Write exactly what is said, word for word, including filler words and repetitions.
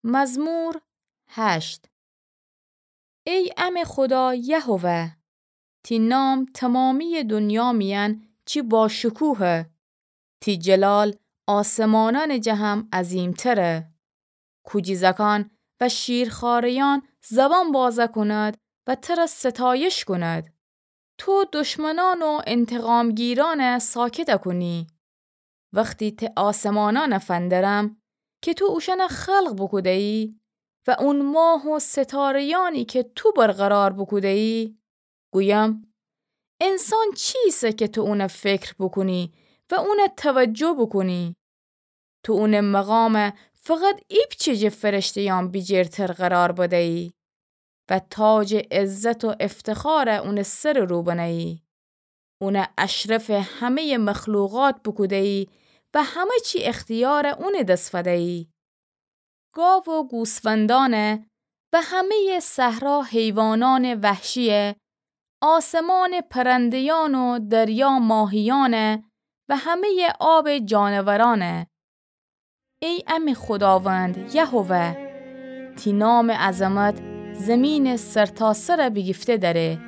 مزمور هشت. ای امه خودا یهوه، تی نام تومامییٚ دونیا میأن چی باشکوهه، تی جلال آسمانأنٚ جه هم عظیمتره. کوجیزکأن و شیرخواره‌یأن زبان بازه کونید و تر ستایش کونید. تو دشمنأن و انتقامگیرأن ساکت کونی. وختی ته آسمانأن فندرم کی تو اوشأن خلق بوکوده‌یی و اون ماه و ستاره‌یأنی کی تو برقرار بوکوده‌یی، گویم: انسان چیسه کی تو اون فکر بوکونی و اون توجه بوکونی؟ تو اون مقام فقط ایپچه جٚه فرشته‌یأن بیجیرتر قرار بده‌یی و تاجٚ عزت و افتخار اون سرٚ رو بنه‌یی. اون اشرفٚ همه‌یٚ مخلوقات بوکوده‌یی و همه چی اختیارٚ اونٚ دس فده‌یی. گاو و گوسفندأن و همه‌یٚ صحرا حیوانأنٚ وحشیی، آسمانٚ پرنده‌یأن و دریا ماهیأن و همه‌یٚ آبٚ جانورأن. ای امه خوداوند یهوه، تی نامٚ عظمت زیمینٚ سرتاسر بیگیفته دأره.